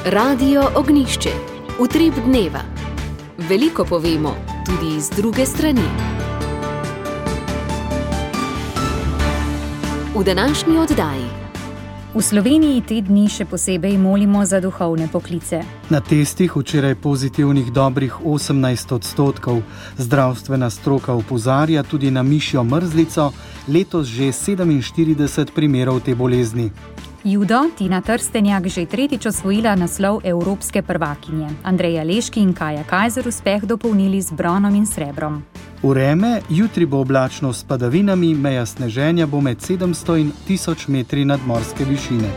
Radio Ognjišče. Utrip dneva. Veliko povemo, tudi z druge strani. V današnji oddaji. V Sloveniji te dni še posebej molimo za duhovne poklice. Na testih včeraj pozitivnih dobrih 18%. Zdravstvena stroka opozarja tudi na mišjo mrzlico, letos že 47 primerov te bolezni. Judo Tina Trstenjak že tretjič osvojila naslov evropske prvakinje. Andreja Leški in Kaja Kajzer uspeh dopolnili z bronom in srebrom. Vreme, jutri bo oblačno s padavinami, meja sneženja bo med 700 in 1000 metri nadmorske višine.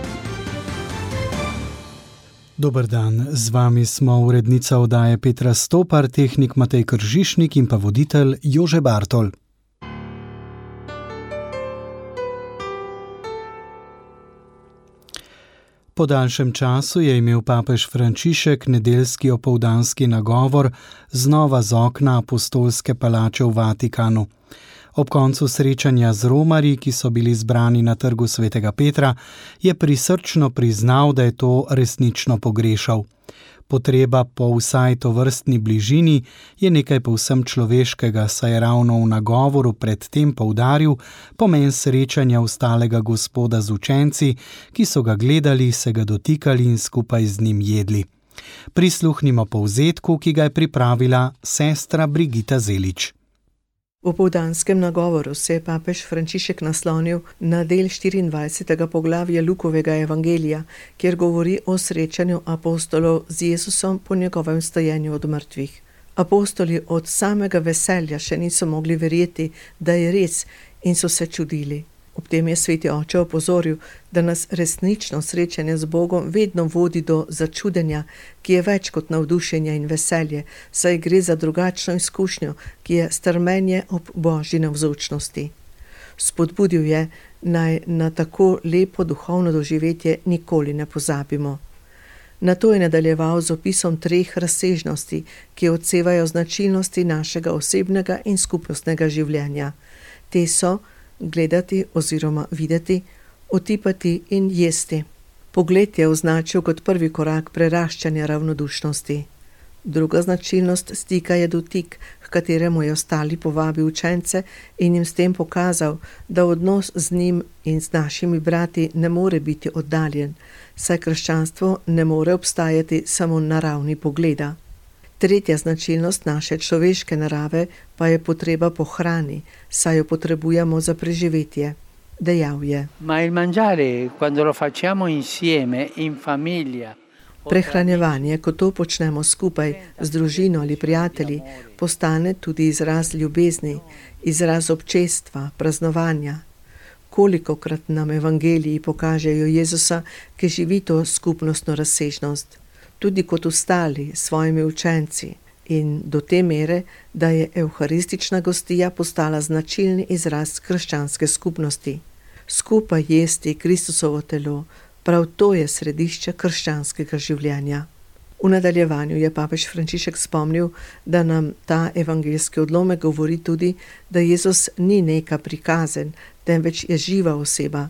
Dober dan, z vami smo urednica oddaje Petra Stopar, tehnik Matej Kržišnik in pa voditelj Jože Bartol. Po daljšem času je imel papež Frančišek nedeljski opoldanski nagovor znova z okna apostolske palače v Vatikanu. Ob koncu srečanja z romarji, ki so bili zbrani na trgu svetega Petra, je prisrčno priznal, da je to resnično pogrešal. Potreba po vsaj tovrstni bližini je nekaj povsem človeškega, saj je ravno v nagovoru predtem poudaril pomen srečanja ostalega Gospoda z učenci, ki so ga gledali, se ga dotikali in skupaj z njim jedli. Prisluhnimo povzetku, ki ga je pripravila sestra Brigita Zelič. V opoldanskem nagovoru se je papež Frančišek naslonil na del 24. poglavja Lukovega evangelija, kjer govori o srečanju apostolov z Jezusom po njegovem stajenju od mrtvih. Apostoli od samega veselja še niso mogli verjeti, da je res, in so se čudili. Ob tem je sveti oče opozoril, da nas resnično srečanje z Bogom vedno vodi do začudenja, ki je več kot navdušenja in veselje, saj gre za drugačno izkušnjo, ki je strmenje ob Božji navzočnosti. Spodbudil je, naj na tako lepo duhovno doživetje nikoli ne pozabimo. Nato je nadaljeval z opisom 3 razsežnosti, ki odsevajo značilnosti našega osebnega in skupnostnega življenja. Te so gledati oziroma videti, otipati in jesti. Pogled je označil kot prvi korak preraščanja ravnodušnosti. Druga značilnost stika je dotik, h kateremu je ostali povabil učence in jim s tem pokazal, da odnos z njim in z našimi brati ne more biti oddaljen, saj krščanstvo ne more obstajati samo na ravni pogleda. Tretja značilnost naše človeške narave pa je potreba po hrani, saj jo potrebujemo za preživetje. Dejal je: prehranjevanje, ko to počnemo skupaj z družino ali prijatelji, postane tudi izraz ljubezni, izraz občestva, praznovanja. Kolikokrat nam evangeliji pokažejo Jezusa, ki živi to skupnostno razsežnost, tudi kot ostali svojimi učenci, in do te mere, da je evharistična gostija postala značilni izraz krščanske skupnosti. Skupaj jesti Kristusovo telo, prav to je središče krščanskega življenja. V nadaljevanju je papež Frančišek spomnil, da nam ta evangeljski odlomek govori tudi, da Jezus ni neka prikazen, temveč je živa oseba.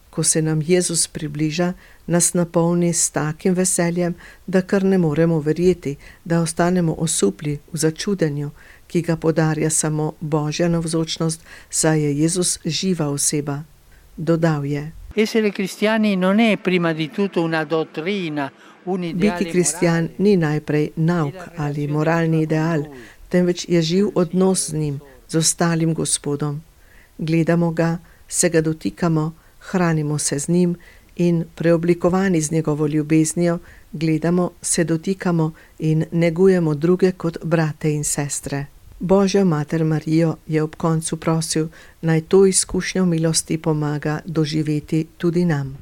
Ko se nam Jezus približa, nas napolni s takim veseljem, da kar ne moremo verjeti, da ostanemo osupli v začudenju, ki ga podarja samo Božja navzočnost, saj je Jezus živa oseba. Dodal je: biti kristjan ni najprej nauk ali moralni ideal, temveč je živ odnos z njim, z ostalim Gospodom. Gledamo ga, se ga dotikamo, hranimo se z njim in preoblikovani z njegovo ljubeznijo, gledamo, se dotikamo in negujemo druge kot brate in sestre. Božjo mater Marijo je ob koncu prosil, naj to izkušnjo milosti pomaga doživeti tudi nam.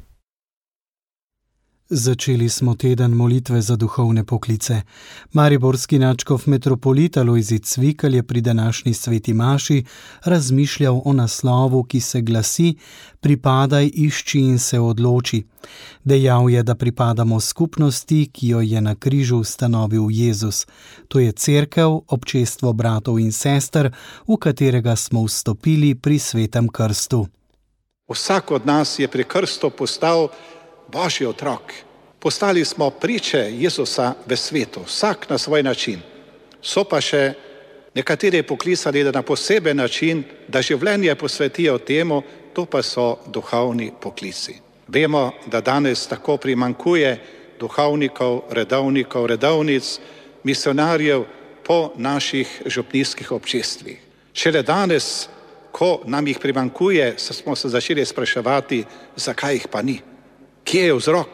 Začeli smo teden molitve za duhovne poklice. Mariborski nadškof metropolit Alojzij Cvikl je pri današnji sveti maši razmišljal o naslovu, ki se glasi: Pripadaj, išči in se odloči. Dejal je, da pripadamo skupnosti, ki jo je na križu ustanovil Jezus. To je cerkev, občestvo bratov in sester, v katerega smo vstopili pri svetem krstu. Vsak od nas je pri krstu postal Božji otrok. Postali smo priče Jezusa v svetu, vsak na svoj način. So pa še nekateri poklicani na poseben način, da življenje posvetijo temu, to pa so duhovni poklici. Vemo, da danes tako primanjkuje duhovnikov, redovnic, misionarjev po naših župnijskih občestvih. Šele danes, ko nam jih primanjkuje, smo se začeli spraševati, zakaj jih pa ni. Kje je vzrok?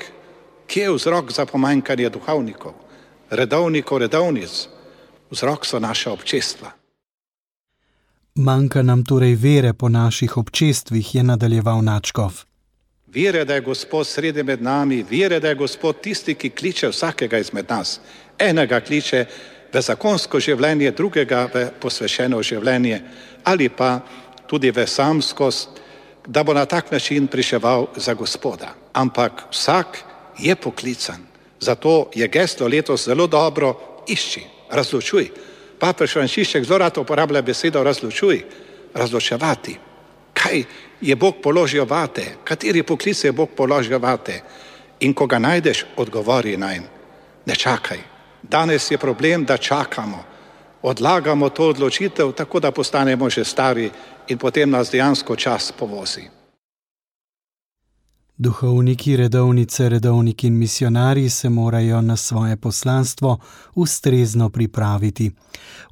Kje je vzrok za pomanjkanje duhovnikov, redovnic? Vzrok so naša občestva. Manjka nam torej vere po naših občestvih, je nadaljeval Načkov. Vere, da je Gospod sredi med nami, vere, da je Gospod tisti, ki kliče vsakega izmed nas. Enega kliče v zakonsko življenje, drugega v posvečeno življenje ali pa tudi v samskost, da bo na tak način priševal za Gospoda. Ampak vsak je poklican. Zato je geslo letos zelo dobro: išči, razločuj. Papež Frančišek zelo rad uporablja besedo razločuj, razločevati. Kaj je Bog položil vate? Kateri poklic je Bog položil vate? In ko ga najdeš, odgovori nanj. Ne čakaj. Danes je problem, da čakamo. Odlagamo to odločitev, tako da postanemo že stari in potem nas dejansko čas povozi. Duhovniki, redovniki in misionarji se morajo na svoje poslanstvo ustrezno pripraviti.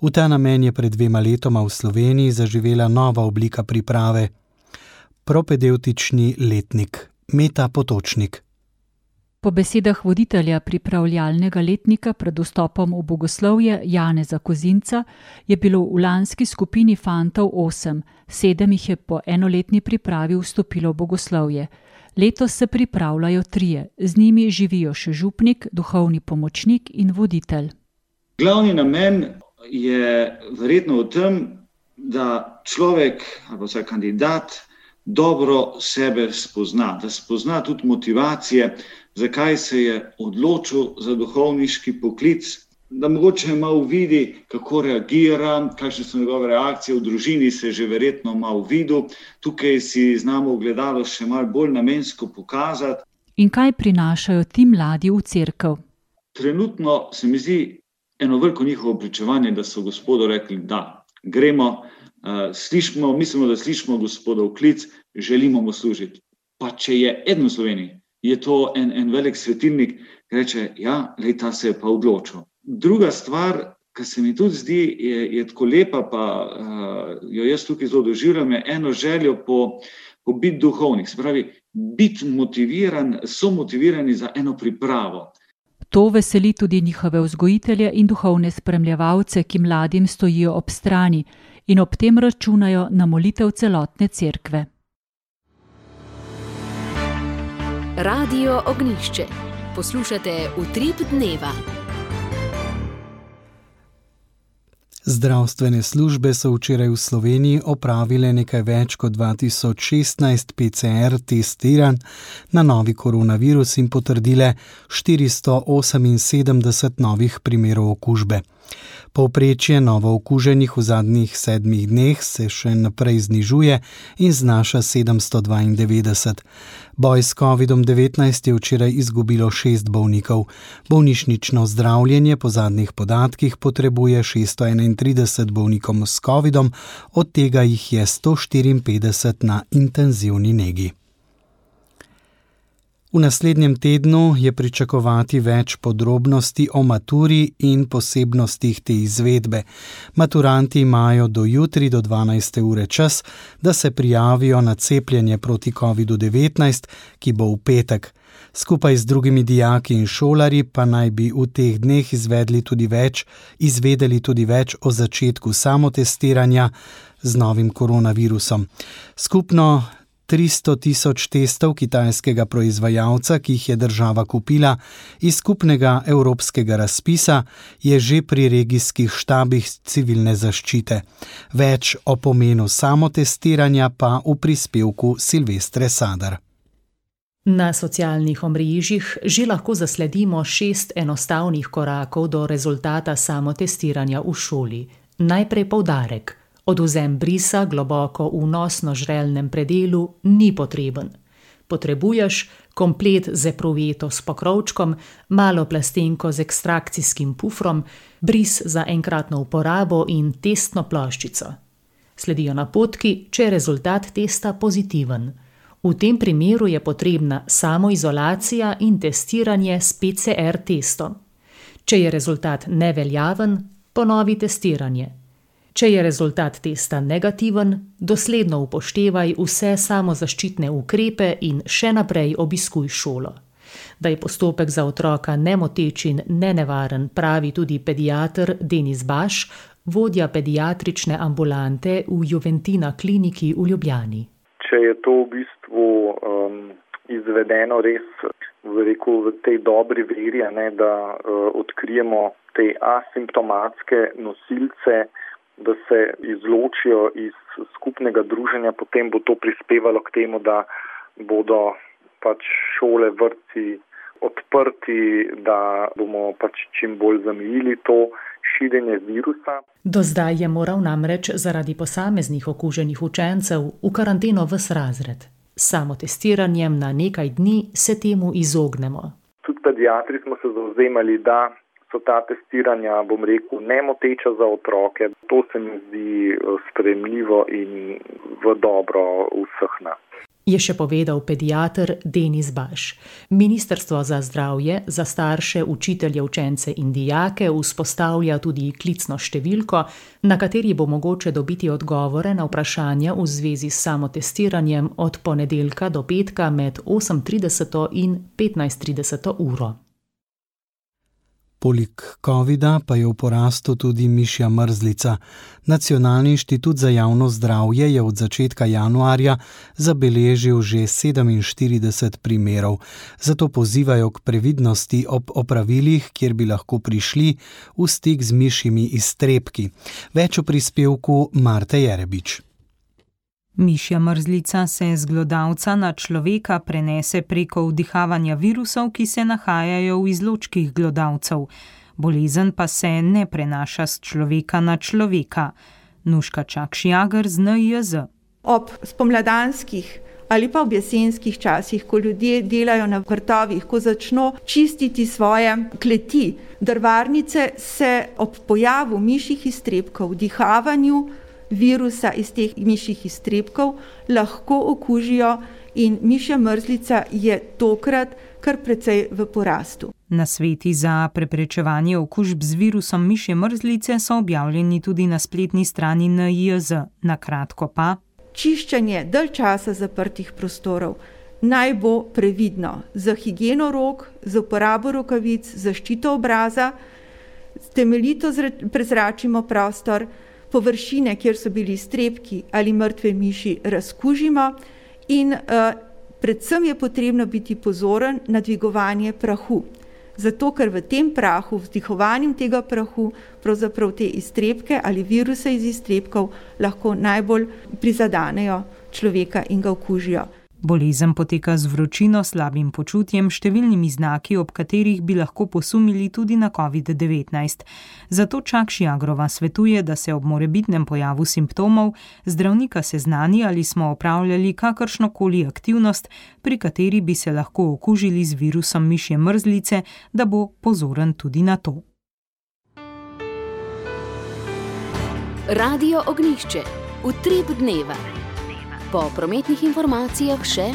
V ta namen je pred 2 letoma v Sloveniji zaživela nova oblika priprave. Propedevtični letnik. Meta Potočnik. Po besedah voditelja pripravljalnega letnika pred vstopom v bogoslovje Janeza Kozinca je bilo v lanski skupini fantov 8, 7 jih je po enoletni pripravi vstopilo v bogoslovje. Letos se pripravljajo 3, z njimi živijo še župnik, duhovni pomočnik in voditelj. Glavni namen je verjetno v tem, da človek ali vsaj kandidat dobro sebe spozna, da spozna tudi motivacije, zakaj se je odločil za duhovniški poklic, da mogoče malo vidi, kako reagira, kakšne so njegove reakcije, v družini se že verjetno malo videl, tukaj si znamo ogledalo še malo bolj namensko pokazati. In kaj prinašajo ti mladi v cerkev? Trenutno se mi zdi eno veliko njihovo pričevanje, da so Gospodu rekli, da gremo, mislimo, da slišimo Gospodov klic, želimo mu služiti. Pa če je eden v Sloveniji, je to en velik svetilnik, ki reče, ja, ta se je pa odločil. Druga stvar, ki se mi tudi zdi, je tako lepa, pa jo jaz tukaj zelo doživljam, je eno željo po biti duhovnik. Se pravi, biti motiviran, so motivirani za eno pripravo. To veseli tudi njihove vzgojitelje in duhovne spremljevalce, ki mladim stojijo ob strani in ob tem računajo na molitev celotne cerkve. Radio Ognjišče. Poslušate Utrip dneva. Zdravstvene službe so včeraj v Sloveniji opravile nekaj več kot 2016 PCR testiranj na novi koronavirus in potrdile 478 novih primerov okužbe. Povprečje novookuženih v zadnjih 7 dneh se še naprej znižuje in znaša 792. Boj s COVID-19 je včeraj izgubilo 6 bolnikov. Bolnišnično zdravljenje po zadnjih podatkih potrebuje 631 bolnikom s COVIDom, od tega jih je 154 na intenzivni negi. V naslednjem tednu je pričakovati več podrobnosti o maturi in posebnostih te izvedbe. Maturanti imajo do jutri do 12. ure čas, da se prijavijo na cepljenje proti COVID-19, ki bo v petek. Skupaj z drugimi dijaki in šolarji pa naj bi v teh dneh izvedeli tudi več o začetku samotestiranja z novim koronavirusom. Skupno 300.000 testov kitajskega proizvajalca, ki jih je država kupila iz skupnega evropskega razpisa, je že pri regijskih štabih civilne zaščite. Več o pomenu samotestiranja pa v prispevku Silvestre Sadar. Na socialnih omrežjih že lahko zasledimo 6 enostavnih korakov do rezultata samotestiranja v šoli. Najprej poudarek. Odvzem brisa globoko v nosno-žrelnem predelu ni potreben. Potrebuješ komplet z epruveto s pokrovčkom, malo plastenko z ekstrakcijskim pufrom, bris za enkratno uporabo in testno ploščico. Sledijo napotki, če je rezultat testa pozitiven. V tem primeru je potrebna samoizolacija in testiranje s PCR testom. Če je rezultat neveljaven, ponovi testiranje. Če je rezultat testa negativen, dosledno upoštevaj vse samozaščitne ukrepe in še naprej obiskuj šolo. Da je postopek za otroka nemoteč in nenevaren, pravi tudi pediater Denis Baš, vodja pediatrične ambulante v Juventina kliniki v Ljubljani. Če je to v bistvu izvedeno res v tej dobri veri, da odkrijemo te asimptomatske nosilce, da se izločijo iz skupnega druženja, potem bo to prispevalo k temu, da bodo šole, vrtci odprti, da bomo čim bolj zamejili to širjenje virusa. Do zdaj je moral namreč zaradi posameznih okuženih učencev v karanteno ves razred. S samotestiranjem na nekaj dni se temu izognemo. Tudi pediatri smo se zavzemali, da so ta testiranja, nemoteča za otroke. To se mi zdi sprejemljivo in v dobro vseh nas. Je še povedal pediater Denis Baš. Ministrstvo za zdravje za starše, učitelje, učence in dijake vzpostavlja tudi klicno številko, na kateri bo mogoče dobiti odgovore na vprašanja v zvezi s samotestiranjem od ponedeljka do petka med 8:30 in 15:30 uro. Poleg covida pa je v porastu tudi mišja mrzlica. Nacionalni inštitut za javno zdravje je od začetka januarja zabeležil že 47 primerov. Zato pozivajo k previdnosti ob opravilih, kjer bi lahko prišli v stik z mišjimi iztrebki. Več o prispevku Marte Jerebič. Mišja mrzlica se z glodavca na človeka prenese preko vdihavanja virusov, ki se nahajajo v izločkih glodavcev. Bolezen pa se ne prenaša s človeka na človeka. Nuška Čakšijager z NIJZ. Ob spomladanskih ali pa ob jesenskih časih, ko ljudje delajo na vrtovih, ko začno čistiti svoje kleti, drvarnice se ob pojavu mišjih iztrebkov, vdihavanju virusa iz teh mišjih iztrebkov lahko okužijo in mišja mrzlica je tokrat kar precej v porastu. Nasveti za preprečevanje okužb z virusom mišje mrzlice so objavljeni tudi na spletni strani NIJZ. Na kratko pa: čiščenje dalj časa zaprtih prostorov naj bo previdno, za higieno rok, za uporabo rokavic, zaščito obraza, temeljito prezračimo prostor, površine, kjer so bili iztrebki ali mrtve miši, razkužimo in predvsem je potrebno biti pozoren na dvigovanje prahu. Zato, ker v tem prahu, vdihovanjem tega prahu, pravzaprav te iztrebke ali viruse iz iztrebkov lahko najbolj prizadanejo človeka in ga okužijo. Bolezen poteka z vročino, slabim počutjem, številnimi znaki, ob katerih bi lahko posumili tudi na COVID-19. Zato Čakšijagrova svetuje, da se ob morebitnem pojavu simptomov zdravnika seznani, ali smo opravljali kakršnokoli aktivnost, pri kateri bi se lahko okužili z virusom mišje mrzlice, da bo pozoren tudi na to. Radio Ognjišče. Utrip dneva. Po prometnih informacijah še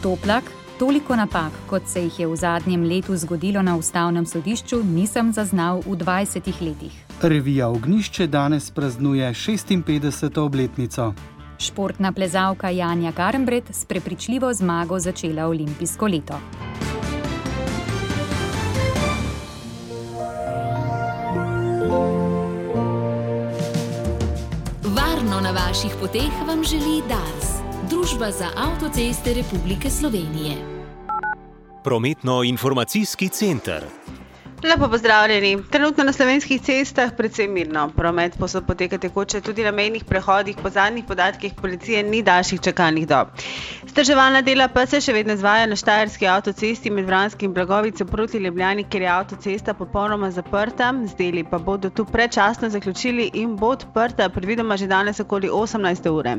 Toplak, toliko napak, kot se jih je v zadnjem letu zgodilo na Ustavnem sodišču, nisem zaznal v 20 letih. Revija Ognjišče danes praznuje 56. obletnico. Športna plezalka Janja Garnbret s prepričljivo zmago začela olimpijsko leto. Na vaših poteh vam želi Dars, Družba za avtoceste Republike Slovenije. Prometno-informacijski center. Lepo pozdravljeni. Trenutno na slovenskih cestah precej mirno. Promet posod poteka tekoče, tudi na mejnih prehodih. Po zadnjih podatkih policije ni daljših čakalnih dob. Vzdrževalna dela pa se še vedno izvaja na Štajerski avtocesti med Vranskim in Blagovico proti Ljubljani, kjer je avtocesta popolnoma zaprta. Z deli pa bodo tu predčasno zaključili in bo odprta predvidoma že danes okoli 18. ure.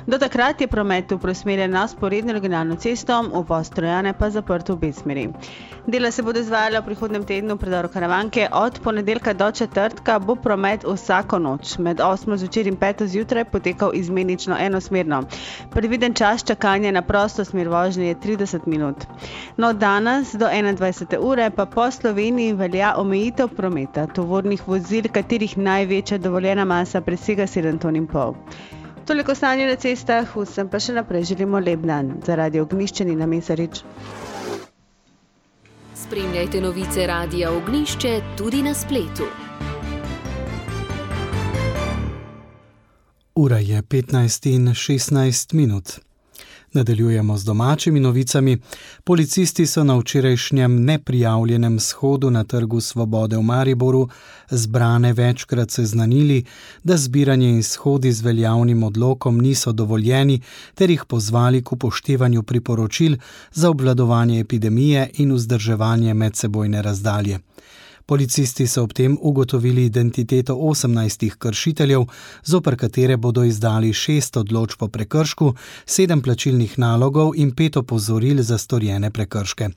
Do takrat je promet preusmerjen na vzporedno regionalno cesto, uvoz Trojane pa zaprt v obe smeri. Dela se bodo izvajala v prihodnjem tednu predoru Karavanke. Od ponedeljka do četrtka bo promet vsako noč med 8. zvečer in 5. zjutraj potekal izmenično enosmerno. Predviden čas čakanja na prosto smer vožnje je 30 minut. No, danes do 21. ure pa po Sloveniji velja omejitev prometa tovornih vozil, katerih največja dovoljena masa presega 7,5 ton. Toliko stanje na cestah, vsem pa še naprej želimo lep dan. Za Radio Ognjišče Nina Mesarič. Spremljajte novice Radia Ognjišče tudi na spletu. Ura je 15:16. Nadaljujemo z domačimi novicami. Policisti so na včerajšnjem neprijavljenem shodu na Trgu Svobode v Mariboru zbrane večkrat seznanili, da zbiranje in shodi z veljavnim odlokom niso dovoljeni, ter jih pozvali k upoštevanju priporočil za obvladovanje epidemije in vzdrževanje medsebojne razdalje. Policisti so ob tem ugotovili identiteto 18 kršiteljev, zoper katere bodo izdali 6 odločb o prekršku, 7 plačilnih nalogov in 5 opozoril za storjene prekrške.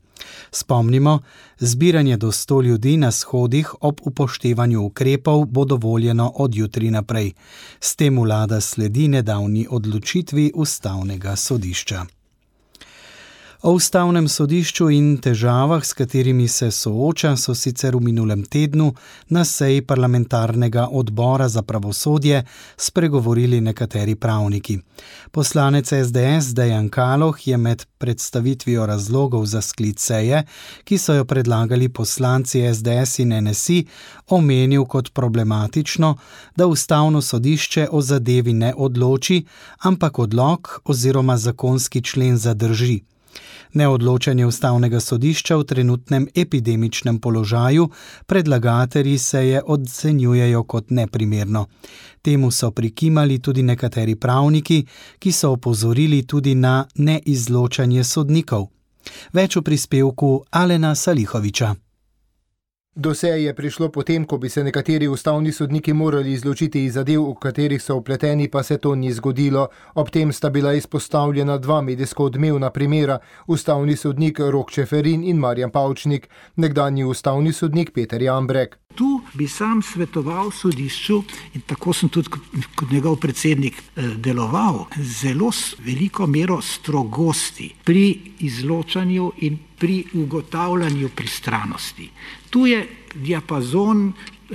Spomnimo, zbiranje do 100 ljudi na shodih ob upoštevanju ukrepov bo dovoljeno od jutri naprej. S tem vlada sledi nedavni odločitvi Ustavnega sodišča. O Ustavnem sodišču in težavah, s katerimi se sooča, so sicer v minulem tednu na seji parlamentarnega odbora za pravosodje spregovorili nekateri pravniki. Poslanec SDS Dejan Kaloh je med predstavitvijo razlogov za sklic seje, ki so jo predlagali poslanci SDS in NSI, omenil kot problematično, da Ustavno sodišče o zadevi ne odloči, ampak odlok oziroma zakonski člen zadrži. Neodločanje Ustavnega sodišča v trenutnem epidemičnem položaju predlagatelji seje ocenjujejo kot neprimerno. Temu so prikimali tudi nekateri pravniki, ki so opozorili tudi na neizločanje sodnikov. Več v prispevku Alena Salihoviča. Do seje je prišlo potem, ko bi se nekateri ustavni sodniki morali izločiti iz zadev, v katerih so vpleteni, pa se to ni zgodilo. Ob tem sta bila izpostavljena 2 medijsko odmevna primera, ustavni sodnik Rok Čeferin in Marjan Pavčnik, nekdanji ustavni sodnik Peter Jambrek. Tu bi sam svetoval sodišču in tako sem tudi kot njegov predsednik deloval, zelo veliko mero strogosti pri izločanju in pri ugotavljanju pristranosti. Tu je diapazon,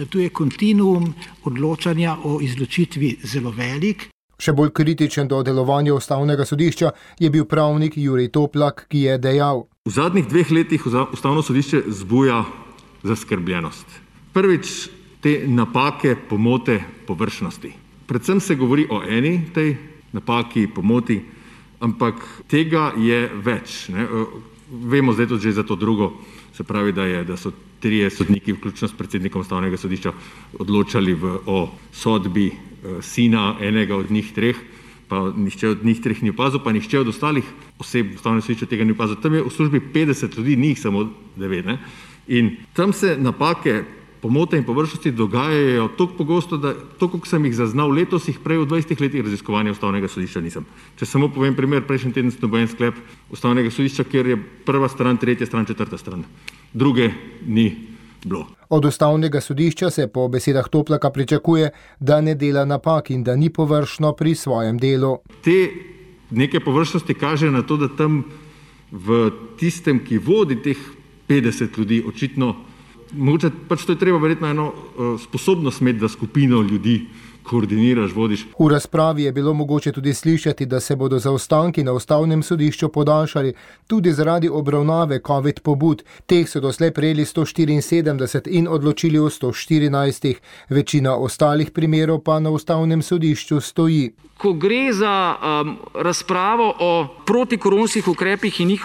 tu je kontinuum odločanja o izločitvi zelo velik. Še bolj kritičen do delovanja Ustavnega sodišča je bil pravnik Jurij Toplak, ki je dejal: V zadnjih 2 letih Ustavno sodišče zbuja zaskrbljenost. Prvič, te napake, pomote, površnosti. Predvsem se govori o eni tej napaki, pomoti, ampak tega je več. Ne? Vemo zdaj tudi že za to drugo, se pravi, da so 3 sodniki, vključno s predsednikom Ustavnega sodišča, odločali o sodbi sina enega od njih 3, pa nihče od njih 3 ni opazil, pa nihče od ostalih oseb Ustavnega sodišča tega ni opazil. Tam je v službi 50 ljudi, ni jih samo 9. Ne? In tam se napake, pomote in površnosti dogajajo toliko pogosto, da to, koliko sem jih zaznal letos, jih prej v 20 letih raziskovanja Ustavnega sodišča nisem. Če samo povem primer, prejšnji teden sem dobil en sklep Ustavnega sodišča, kjer je prva stran, tretja stran, četrta stran. Druge ni bilo. Od Ustavnega sodišča se po besedah Toplaka pričakuje, da ne dela napak in da ni površno pri svojem delu. Te neke površnosti kaže na to, da tam v tistem, ki vodi teh 50 ljudi, očitno mogoče pač to je treba verjetno eno sposobnost imeti, da skupino ljudi koordiniraš, vodiš. V razpravi je bilo mogoče tudi slišati, da se bodo zaostanki na Ustavnem sodišču podaljšali tudi zaradi obravnave COVID pobud. Teh so doslej prejeli 174 in odločili o 114. Večina ostalih primerov pa na Ustavnem sodišču stoji. Ko gre za razpravo o protikoronskih ukrepih in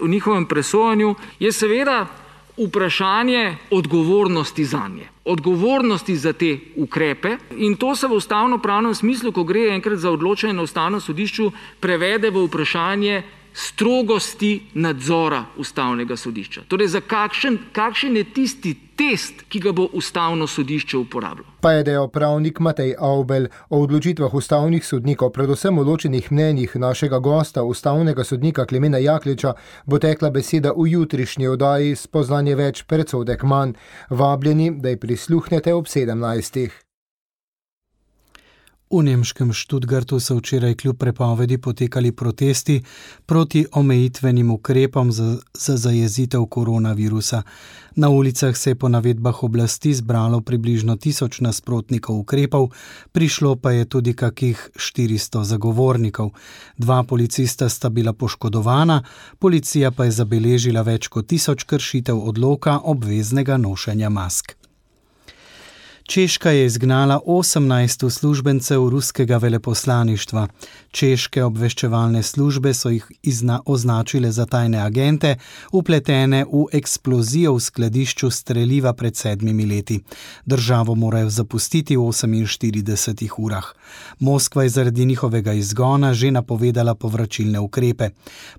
njihovem presojanju, je seveda vprašanje odgovornosti zanje. Odgovornosti za te ukrepe in to se v ustavno-pravnem smislu, ko gre enkrat za odločanje na ustavnem sodišču, prevede v vprašanje strogosti nadzora ustavnega sodišča. Torej, za kakšen je tisti test, ki ga bo ustavno sodišče uporabljalo. Pa je dejal pravnik Matej Avbelj. O odločitvah ustavnih sodnikov, predvsem o ločenih mnenjih našega gosta, ustavnega sodnika Klemena Jakliča, bo tekla beseda v jutrišnji oddaji Spoznanje več, predsodek manj. Vabljeni, da ji prisluhnete ob 17. V nemškem Stuttgartu so včeraj kljub prepovedi potekali protesti proti omejitvenim ukrepom za zajezitev koronavirusa. Na ulicah se je po navedbah oblasti zbralo približno 1000 nasprotnikov ukrepov, prišlo pa je tudi kakih 400 zagovornikov. 2 policista sta bila poškodovana, policija pa je zabeležila več kot 1000 kršitev odloka obveznega nošenja mask. Češka je izgnala 18 uslužbencev ruskega veleposlaništva. Češke obveščevalne službe so jih označile za tajne agente, vpletene v eksplozijo v skladišču streliva pred 7 leti. Državo morajo zapustiti v 48 urah. Moskva je zaradi njihovega izgona že napovedala povračilne ukrepe.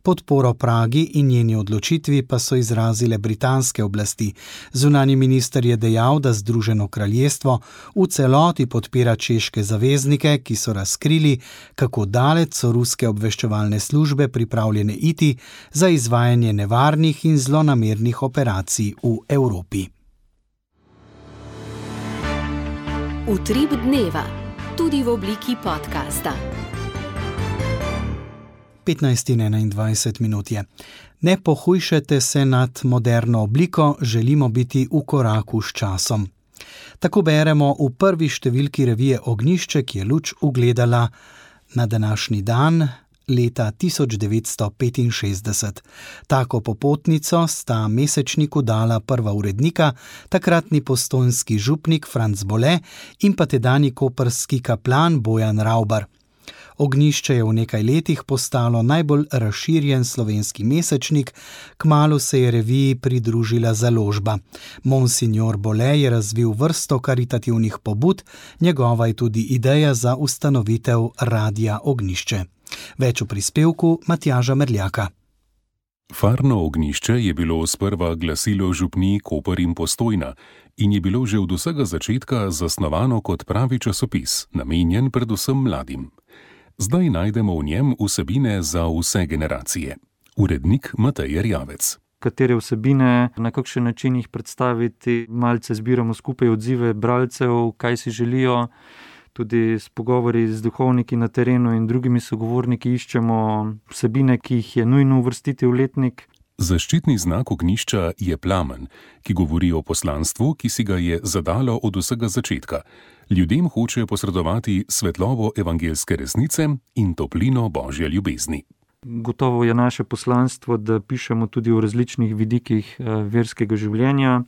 Podporo Pragi in njeni odločitvi pa so izrazile britanske oblasti. Zunanji minister je dejal, da Združeno kraljestvo v celoti podpira češke zaveznike, ki so razkrili, kako daleč so ruske obveščevalne službe pripravljene iti za izvajanje nevarnih in zlonamernih operacij v Evropi. Utrip dneva, tudi v obliki podcasta. 15:21 je. Ne pohujšajte se nad moderno obliko, želimo biti v koraku s časom. Tako beremo v prvi številki revije Ognjišče, ki je luč ugledala na današnji dan leta 1965. Tako popotnico sta mesečniku dala prva urednika, takratni postojnski župnik Franc Bole in pa tedanji koprski kaplan Bojan Ravbar. Ognjišče je v nekaj letih postalo najbolj razširjen slovenski mesečnik, kmalu se je reviji pridružila založba. Monsignor Bole je razvil vrsto karitativnih pobud, njegova je tudi ideja za ustanovitev Radia Ognjišče. Več v prispevku Matjaža Merljaka. Farno Ognjišče je bilo sprva glasilo župnij Koper in Postojna in je bilo že od vsega začetka zasnovano kot pravi časopis, namenjen predvsem mladim. Zdaj najdemo v njem vsebine za vse generacije. Urednik Matej Erjavec. Katere vsebine, na kakšen način jih predstaviti, malce zbiramo skupaj odzive bralcev, kaj si želijo, tudi s pogovori z duhovniki na terenu in drugimi sogovorniki iščemo vsebine, ki jih je nujno uvrstiti v letnik. Zaščitni znak ognjišča je plamen, ki govori o poslanstvu, ki si ga je zadalo od vsega začetka. Ljudem hoče posredovati svetlobo evangeljske resnice in toplino Božje ljubezni. Gotovo je naše poslanstvo, da pišemo tudi o različnih vidikih verskega življenja.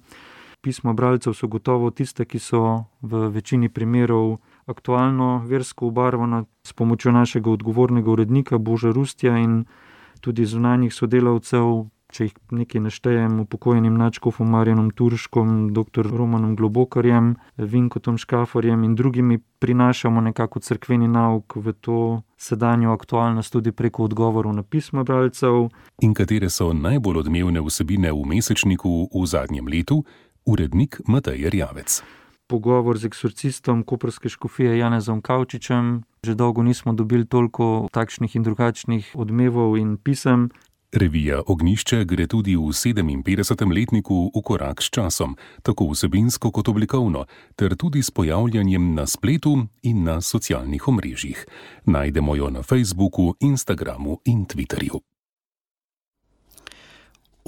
Pisma bralcev so gotovo tiste, ki so v večini primerov aktualno versko obarvana. S pomočjo našega odgovornega urednika Boža Rustja in tudi zunanjih sodelavcev, če jih nekaj naštejem, upokojenim nadškofom Marjanom Turškom, dr. Romanom Globokarjem, Vinkotom Škafarjem in drugimi, prinašamo nekako cerkveni nauk v to sedanjo aktualnost tudi preko odgovorov na pisma bralcev. In katere so najbolj odmevne vsebine v mesečniku v zadnjem letu? Urednik Matej Erjavec. Pogovor z eksorcistom koprske škofije Janezom Kavčičem. Že dolgo nismo dobili toliko takšnih in drugačnih odmevov in pisem. Revija Ognjišče gre tudi v 57. letniku v korak s časom, tako vsebinsko kot oblikovno, ter tudi s pojavljanjem na spletu in na socialnih omrežjih. Najdemo jo na Facebooku, Instagramu in Twitterju.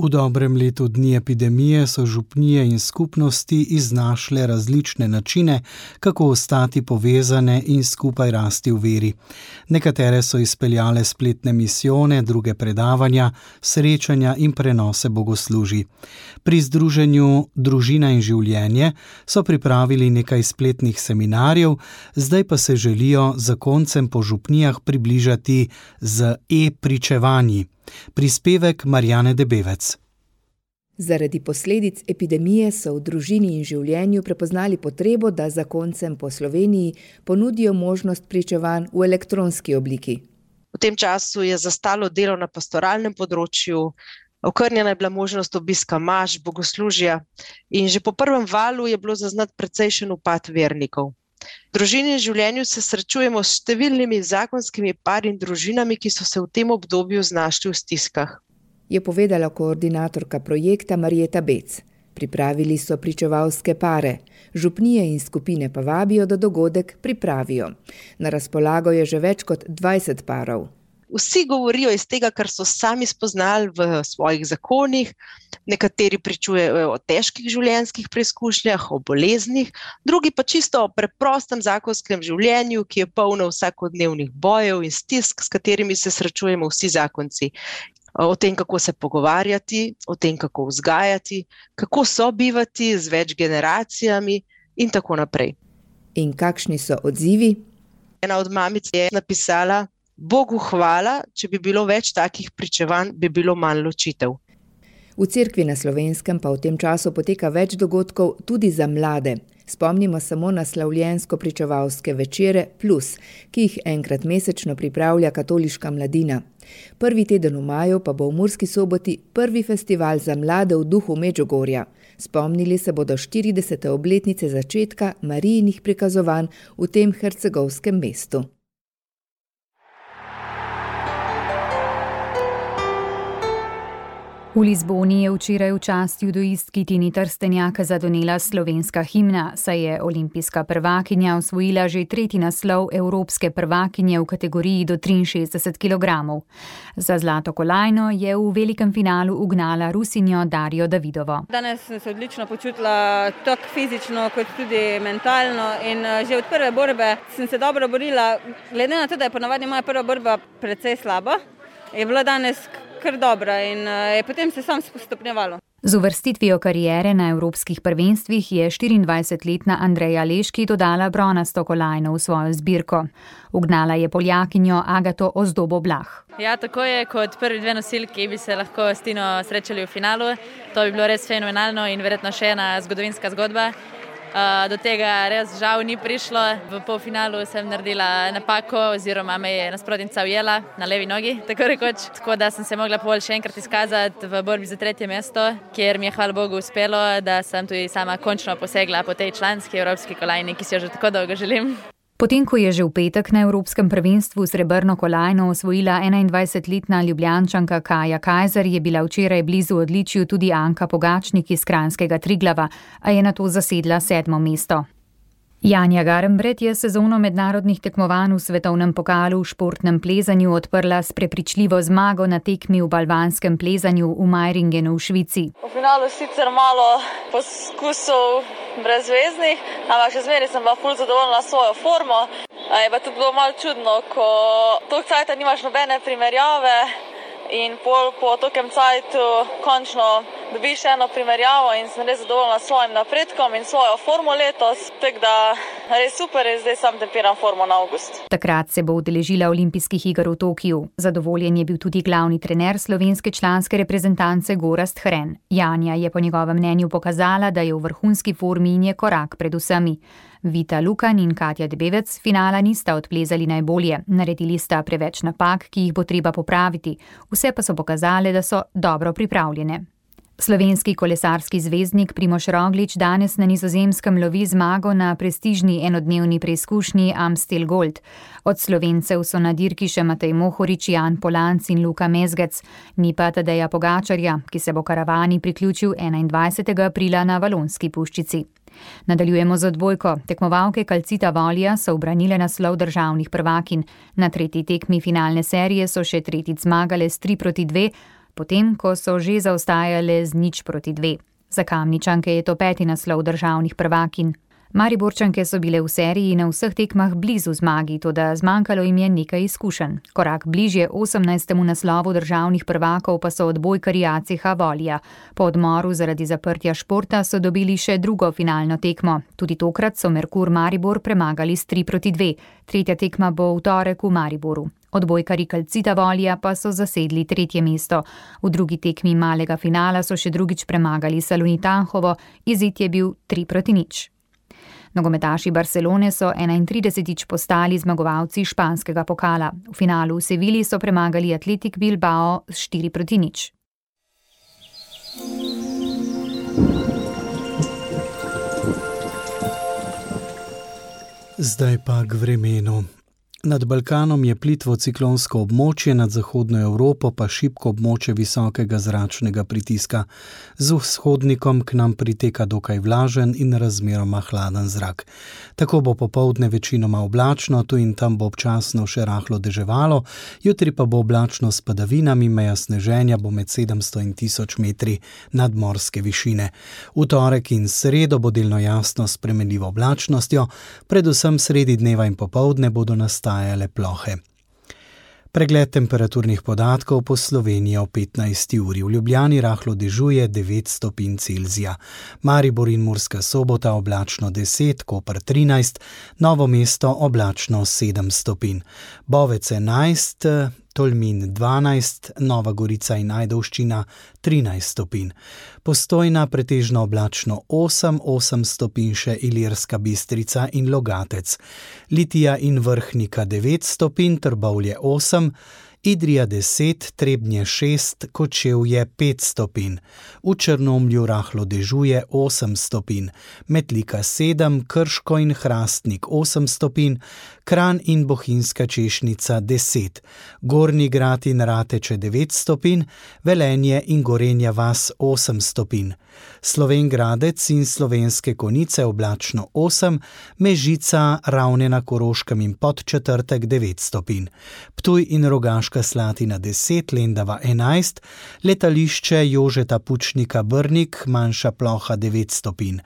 V dobrem letu dni epidemije so župnije in skupnosti iznašle različne načine, kako ostati povezane in skupaj rasti v veri. Nekatere so izpeljale spletne misijone, druge predavanja, srečanja in prenose bogoslužij. Pri združenju Družina in življenje so pripravili nekaj spletnih seminarjev, zdaj pa se želijo zakoncem po župnijah približati z e-pričevanji. Prispevek Marjane Debevec. Zaradi posledic epidemije so v družini in življenju prepoznali potrebo, da zakoncem po Sloveniji ponudijo možnost pričevanj v elektronski obliki. V tem času je zastalo delo na pastoralnem področju, okrnjena je bila možnost obiska maš, bogoslužja in že po prvem valu je bilo zaznati precejšen upad vernikov. V družini in življenju se srečujemo s številnimi zakonskimi pari in družinami, ki so se v tem obdobju znašli v stiskah. Je povedala koordinatorka projekta Marjeta Bec. Pripravili so pričevalske pare. Župnije in skupine pa vabijo, da dogodek pripravijo. Na razpolago je že več kot 20 parov. Vsi govorijo iz tega, kar so sami spoznali v svojih zakonih. Nekateri pričujejo o težkih življenjskih preizkušnjah, o boleznih, drugi pa čisto o preprostem zakonskem življenju, ki je polno vsakodnevnih bojev in stisk, s katerimi se srečujemo vsi zakonci. O tem, kako se pogovarjati, o tem, kako vzgajati, kako sobivati z več generacijami in tako naprej. In kakšni so odzivi? Ena od mamic je napisala: Bogu hvala, če bi bilo več takih pričevanj, bi bilo manj ločitev. V Cerkvi na Slovenskem pa v tem času poteka več dogodkov tudi za mlade. Spomnimo samo na slavljensko-pričevalske večere Plus, ki jih enkrat mesečno pripravlja katoliška mladina. Prvi teden v maju pa bo v Murski Soboti prvi festival za mlade v duhu Medžugorja. Spomnili se bodo 40. obletnice začetka Marijinih prikazovanj v tem hercegovskem mestu. V Lizboni je včeraj v čast judoistki Tini Trstenjak zadonela slovenska himna, saj je olimpijska prvakinja osvojila že 3. naslov evropske prvakinje v kategoriji do 63 kg. Za zlato kolajno je v velikem finalu ugnala Rusinjo Darjo Davidovo. Danes sem se odlično počutila, tako fizično kot tudi mentalno, in že od prve borbe sem se dobro borila. Glede na to, da je ponavadi moja prva borba precej slaba, je bila danes kar dobra in je potem se sam stopnjevalo. Z uvrstitvijo kariere na evropskih prvenstvih je 24-letna Andreja Leški dodala bronasto kolajno v svojo zbirko. Ugnala je Poljakinjo Agato Ozdobo-Blah. Ja, tako je, kot prvi dve nosilki bi se lahko s Tino srečali v finalu. To bi bilo res fenomenalno in verjetno še ena zgodovinska zgodba. Do tega res žal ni prišlo. V polfinalu sem naredila napako oziroma me je nasprotnica ujela na levi nogi, tako rekoč. Tako da sem se mogla pol še enkrat izkazati v borbi za 3. mesto, kjer mi je hvala Bogu uspelo, da sem tudi sama končno posegla po tej članski evropski kolajni, ki si jo že tako dolgo želim. Potem, ko je že v petek na Evropskem prvenstvu srebrno kolajno osvojila 21-letna Ljubljančanka Kaja Kajzer, je bila včeraj blizu odličju tudi Anka Pogačnik iz Kranjskega Triglava, a je nato zasedla 7. mesto. Janja Garnbret je sezono mednarodnih tekmovanj v svetovnem pokalu v športnem plezanju odprla s prepričljivo zmago na tekmi v balvanskem plezanju v Meiringenu v Švici. V finalu sicer malo poskusov brezveznih, ampak še zmeraj sem bila ful zadovoljna s svojo formo. Je pa tudi bilo malo čudno, ko toliko cajta nimaš nobene primerjave in po tokem cajtu končno dobiš eno primerjavo in sem res zadovoljna s svojim napredkom in svojo formo letos. Tako da res super je, zdaj sam tempiram formo na avgust. Takrat se bo udeležila olimpijskih iger v Tokiu. Zadovoljen je bil tudi glavni trener slovenske članske reprezentance Gorazd Hren. Janja je po njegovem mnenju pokazala, da je v vrhunski formi in je korak pred vsemi. Vita Lukan in Katja Debevec finala nista odplezali najbolje. Naredili sta preveč napak, ki jih bo treba popraviti. Vse pa so pokazale, da so dobro pripravljene. Slovenski kolesarski zvezdnik Primož Roglič danes na Nizozemskem lovi zmago na prestižni enodnevni preizkušnji Amstel Gold. Od Slovencev so na dirki še Matej Mohorič, Jan Polanc in Luka Mezgec, ni pa Tadeja Pogačarja, ki se bo karavani priključil 21. aprila na Valonski puščici. Nadaljujemo z odbojko. Tekmovalke Calcita Volja so ubranile naslov državnih prvakinj. Na 3. tekmi finalne serije so še tretjič zmagale s 3-2, potem ko so že zaostajale z 0-2. Za Kamničanke je to 5. naslov državnih prvakinj. Mariborčanke so bile v seriji na vseh tekmah blizu zmagi, toda zmanjkalo jim je nekaj izkušenj. Korak bližje 18. naslovu državnih prvakov pa so odbojkarji ACH Volja. Po odmoru zaradi zaprtja športa so dobili še drugo finalno tekmo. Tudi tokrat so Merkur Maribor premagali s 3-2. Tretja tekma bo v torek v Mariboru. Odbojkarji Calcita Volija pa so zasedli 3. mesto. V drugi tekmi malega finala so še drugič premagali Salonit Anhovo, izid je bil 3-0. Nogometaši Barcelone so 31. postali zmagovalci španskega pokala. V finalu v Sevilji so premagali Athletic Bilbao s 4-0. Zdaj pa k vremenu. Nad Balkanom je plitvo ciklonsko območje, nad zahodno Evropo pa šibko območje visokega zračnega pritiska. Z vzhodnikom k nam priteka dokaj vlažen in razmeroma hladen zrak. Tako bo popoldne večinoma oblačno, tu in tam bo občasno še rahlo deževalo, jutri pa bo oblačno s padavinami, meja sneženja bo med 700 in 1000 metri nadmorske višine. V torek in sredo bo delno jasno s spremenljivo oblačnostjo, predvsem sredi dneva in popoldne bodo nastajale plohe. Pregled temperaturnih podatkov po Sloveniji o 15. uri. V Ljubljani rahlo dežuje 9 stopinj Celzija. Maribor in Murska Sobota oblačno 10, Koper 13, Novo mesto oblačno 7 stopinj. Bovec 11, Tolmin 12, Nova Gorica in Ajdovščina 13 stopinj. Postojna pretežno oblačno 8 stopinj še Ilirska Bistrica in Logatec. Litija in Vrhnika 9 stopinj, Trbovlje 8, Idrija 10, Trebnje 6, Kočevje 5 stopinj. V Črnomlju rahlo dežuje 8 stopinj, Metlika 7, Krško in Hrastnik 8 stopinj, Kranj in Bohinjska Češnica 10, Gornji Grad in Rateče 9 stopinj, Velenje in Gorenja vas 8 stopinj. Slovenj Gradec in Slovenske Konjice oblačno 8, Mežica, Ravne na Koroškem in Podčetrtek 9 stopinj. Ptuj in Rogaška Slatina 10, Lendava 11, letališče Jožeta Pučnika Brnik, manjša ploha 9 stopinj.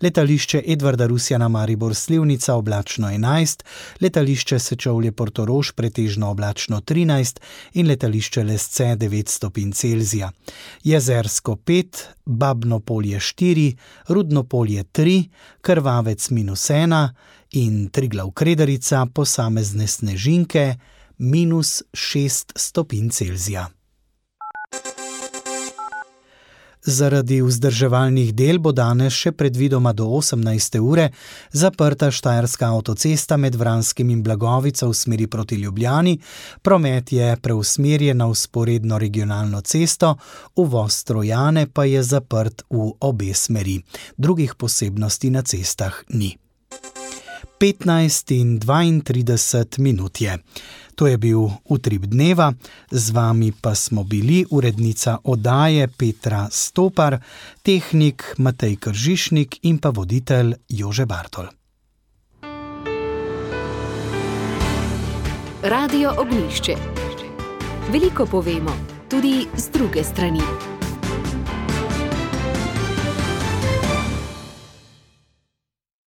Letališče Edvarda Rusjana Maribor Slivnica oblačno 11, letališče Sečovlje Portorož pretežno oblačno 13 in letališče Lesce 9 stopinj Celzija. Jezersko 5, Babno Polje 4, Rudno Polje 3, Krvavec -1 in Triglav Kredarica posamezne snežinke -6 stopinj Celzija. Zaradi vzdrževalnih del bo danes še predvidoma do 18. ure zaprta Štajerska avtocesta med Vranskim in Blagovico v smeri proti Ljubljani, promet je preusmerjen na vzporedno regionalno cesto, uvoz Trojane pa je zaprt v obe smeri. Drugih posebnosti na cestah ni. 15 in 32 minut je. To je bil Utrip dneva, z vami pa smo bili urednica oddaje Petra Stopar, tehnik Matej Kržišnik in pa voditelj Jože Bartol. Radio Ognjišče. Veliko povemo, tudi z druge strani.